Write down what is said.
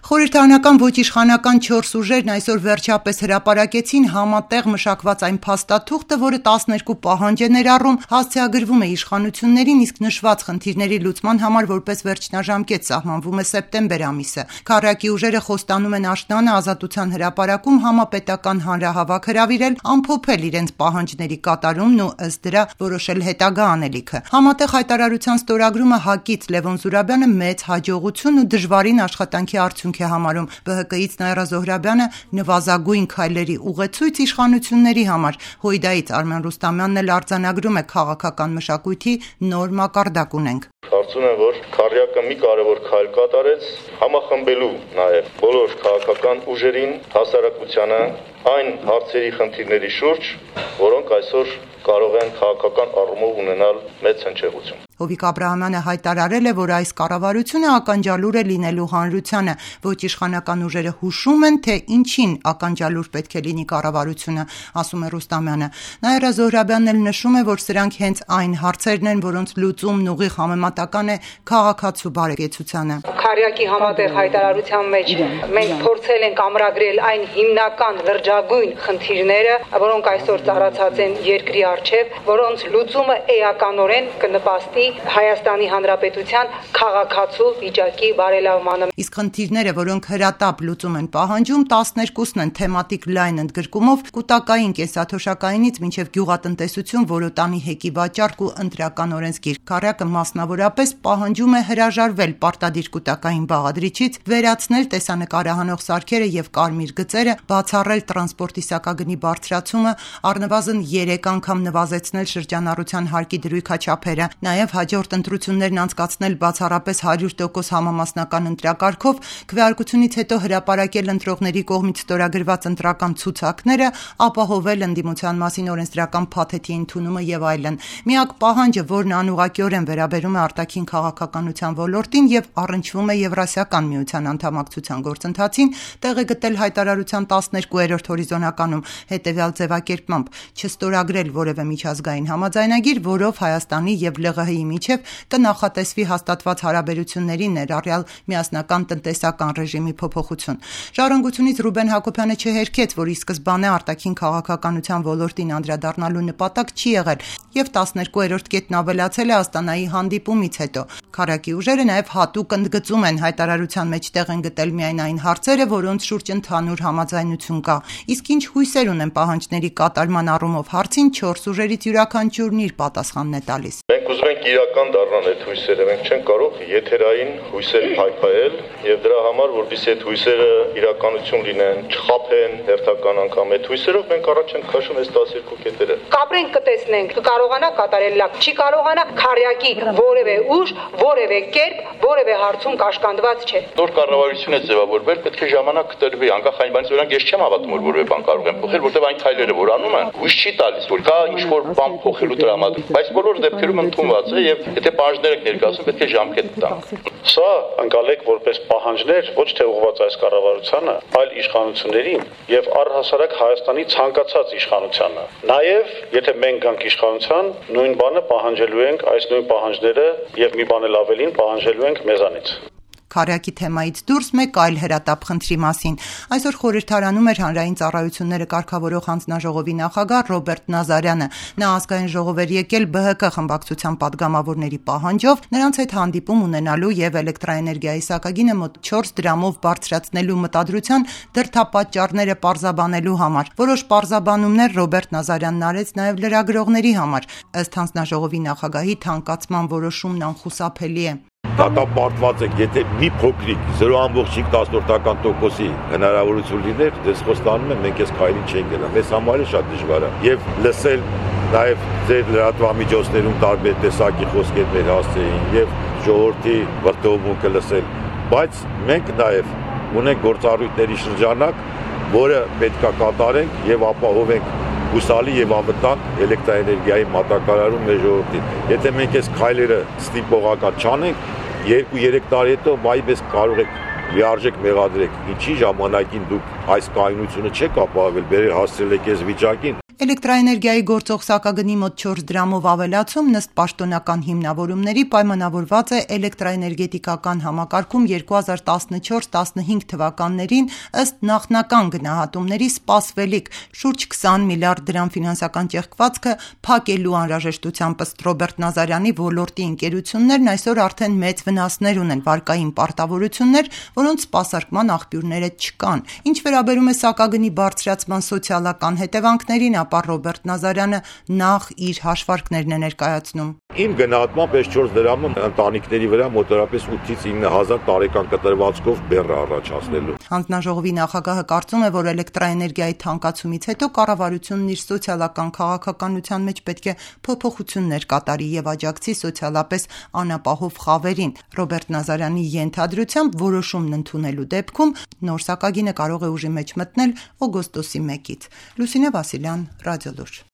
Խորհրդարանական ոչ իշխանական 4 ուժերն այսօր վերջապես հրապարակեցին համատեղ մշակված այն փաստաթուղթը, որը 12 պահանջ է ներառում, հասցեագրվում է իշխանություններին, իսկ նշված խնդիրների լուծման համար որպես վերջնաժամկետ սահմանվում է սեպտեմբեր ամիսը։ Քառակի ուժերը խոստանում են աշնանը Ազատության հրապարակում համապետական հանրահավաք հրավիրել, ամփոփել իրենց պահանջների կատարումն ու ըստ դրա որոշել հետագա անելիքը։ Համատեղ հայտարարության ստորագրումը ՀԱԿ-ից Լևոն Զուրաբյանը մեծ հաջողություն ու դժվարին աշխատանքի արդյունք է համարում։ ԲՀԿ-ից Նաիրա Զոհրաբյանը նվազագույն քայլերի ուղեցույց իշխանությունների համար։ ՀՅԴ-ից Արմեն Ռուստամյանն էլ արձանագրում է քաղաքական մշակույթի նոր մակարդակ ունենք։ Կարծում եմ, որ Քառյակը մի կարևոր քայլ կատարեց համախմբելու նաև բոլոր քաղաքական ուժերին, հասարակությանը այն հարցերի խնդիրների շուրջ, որոնք այսօր կարող են քաղաքական առումով ունենալ մեծ հնչեղություն։ Հովիկ Աբրահամյանը հայտարարել է, որ այս կառավարությունը ականջալուր է լինելու հանրությանը։ Ոչ իշխանական ուժերը հուշում են, թե ինչին ականջալուր պետք է լինի կառավարությունը, ասում է Ռուստամյանը։ Նաիրա Զոհրաբյանն էլ նշում է, որ սրանք հենց այն հարցերն են, որոնց լուծումն ուղիղ համեմատական է քաղաքացու բարեկեցությանը։ Քառյակի համատեղ հայտարարության մեջ մենք փորձել ենք ամրագրել այն հիմնական լրջագույն խնդիրները, որոնք այսօր ծառացած են երկրի առջև, որոնց լուծումը էականորեն կնպաստի Հայաստանի Հանրապետության քաղաքացու վիճակի բարելավմանը։ Իսկ խնդիրները, որոնք հրատապ լուծում են պահանջում, 12-ն են թեմատիկ լայն ընդգրկումով կൂട്ടակային կենսաթոշակայինից մինչև գյուղատնտեսություն, որոտանի հեկի վաճառք ու ընտրական օրենսգիր։ Քառյակը մասնավորապես պահանջում է հրաժարվել պարտադիր կൂട്ടակային բաղադրիչից, վերացնել տեսանկարահանող սարքերը եւ կարմիր գծերը, բացառել տրանսպորտի սակագնի բարձրացումը, առնվազն 3 անգամ նվազեցնել շրջանառության հարկի դրույքաչափերը, նաև հաջորդ ընտրություններն անցկացնել բացառապես 100% համամասնական ընտրակարգով, քվեարկությունից հետո հրապարակել ընտրողների կողմից ստորագրված ընտրական ցուցակները, ապահովել ընդդիմության մասին օրենսդրական փաթեթի ընդունումը եւ այլն։ Միակ պահանջը, որն անուղղակիորեն վերաբերում է արտաքին քաղաքականության ոլորտին եւ առնչվում է Եվրասիական միության անդամակցության գործընթացին, տեղ է գտել հայտարարության 12-րդ հորիզոնականում հետեւյալ ձևակերպմամբ՝ չստորագրել որևէ միջազգային համաձայնագիր, որով Հայաստանի եւ ԼՂՀ-ի միջև կնախատեսվի հաստատված հարաբերությունների ներառյալ միասնական տնտեսական ռեժիմի փոփոխություն։ Ժառանգությունից Ռուբեն Հակոբյանը չհերքեց, որ ի սկզբանե արտաքին քաղաքականության ոլորտին անդրադառնալու նպատակ չի եղել եւ 12-րդ կետն ավելացել է Աստանայի հանդիպումից հետո։ Քառակի ուժերը նաեւ հատուկ ընդգծում են հայտարարության մեջ տեղ են գտել միայն այն հարցերը, որոնց շուրջ ընդհանուր համաձայնություն կա։ Իսկ ինչ հույսեր ունեն պահանջների կատարման առումով հարցին 4 ուժերից յուրաքանչյուրն իր պատասխանն է տալիս։ Մենք ուզում ենք իրական դառնալ այդ հույսերը, մենք չենք կարող եթերային հույսեր փայփայել եւ դրա համար, որպեսզի այդ հույսերը իրականություն լինեն, չխաբեն հերթական անգամ այդ հույսերով մենք առաջ ենք քաշում այս 12 կետերը։ Կապրենք կտեսնենք, կկարողանա կատարել լավ, չի կարողանա Քառյակի որևէ ուժ, որևէ կերպ, որևէ հարցում կաշկանդված չէ։ Նոր կառավարություն է ձևավորվել, պետք է ժամանակ տրվի, անկախ այն բանից, որ ես չեմ հավատում, որ որևէ բան կարող են փոխել, որտեղ այն քայլերը, որ անում են, հույս չի տալիս, որ կա ինչ-որ բան փոխելու տրամադրում, բայց բոլոր դեպքերում ընդունված է եւ եթե պահանջները ներկայացում, պետք է ժամկետ տան։ Սա ընկալեք որպես պահանջներ ոչ թե ուղղված այս կառավարությանը, այլ իշխանություններին եւ առհասարակ Հայաստանի ցանկացած իշխանությանը։ Նաեւ եթե մենք գանք իշխանության, նույն բանը պահանջելու ենք, այս նույն պահանջները եւ մի բան էլ ավելին պահանջելու ենք մեզանից։ Քառյակի թեմայից դուրս մեկ այլ հրատապ խնդրի մասին։ Այսօր խորհրդարանում էր հանրային ծառայությունները կարգավորող հանձնաժողովի նախագահ Ռոբերտ Նազարյանը։ Նա ազգային ժողով էր եկել ԲՀԿ խմբակցության падգամավորների պահանջով նրանց հետ հանդիպում ունենալու եւ էլեկտրաէներգիայի սակագինը մոտ 4 դրամով բարձրացնելու մտադրության դրդապատճառները պարզաբանելու համար։ Որոշ պարզաբանումներ Ռոբերտ Նազարյանն արեց նաեւ լրագրողների համար։ Ըստ հանձնաժողովի նախագահի թանկացման որոշումն անխուսափելի է։ Դատապարտված եք, եթե մի փոքրիկ 0.5%-ի հնարավորություն լիներ, դες խոստանում եմ, մենք այս քայլին չենք գնա։ Մեզ համար է շատ դժվար է։ Եվ լսել նաև ձեր լրատվամիջոցներում տարբեր տեսակի խոսքեր մեր հասցեին եւ ժողովրդի վրդովմունքը լսել, բայց մենք նաև ունենք գործառույթների շրջանակ, որը պետքա կատարենք եւ ապահովենք հուսալի եւ անվտանգ էլեկտրաէներգիայի մատակարարում մեր ժողովրդին։ Եթե մենք այս քայլերը ստիպողական չանենք, 2-3 տարի հետո մայից կարող եք լիարժեք մեղադրեք, ինչի ժամանակին դուք այս կայունությունը չեք ապահովել, բերել հասցրել եք այս վիճակին։ Էլեկտրաէներգիայի գործող սակագնի մոտ 4 դրամով ավելացում ըստ պաշտոնական հիմնավորումների պայմանավորված է էլեկտրաէներգետիկական համակարգում 2014-15 թվականներին ըստ նախնական գնահատումների սպասվելիք շուրջ 20 միլիարդ դրամ ֆինանսական ճեղքվածքը փակելու անհրաժեշտությամբ ըստ Ռոբերտ Նազարյանի ոլորտի ընկերություններն այսօր արդեն մեծ վնասներ ունեն, վարկային պարտավորություններ, որոնց սպասարկման աղբյուրները չկան։ Ինչ վերաբերում է սակագնի բարձրացման սոցիալական հետևանքներին, ապա Ռոբերտ Նազարյանը նախ իր հաշվարկներն է ներկայացնում։ Իմ գնահատմամբ այս 4 դրամը ընտանիքների վրա մոտավորապես 8-ից 9,000 տարեկան կտրվածքով բեռ առաջացնելու։ Հանձնաժողովի նախագահը կարծում է, որ էլեկտրաէներգիայի թանկացումից հետո կառավարությունն իր սոցիալական քաղաքականության մեջ պետք է փոփոխություններ կատարի եւ աջակցի սոցիալապես անապահով խավերին։ Ռոբերտ Նազարյանի ենթադրությամբ որոշումն ընդունելու դեպքում նոր սակագինը կարող է ուժի մեջ մտնել օգոստոսի 1-ից։ Լուսինե Վասիլյան, Ռադիոլուր։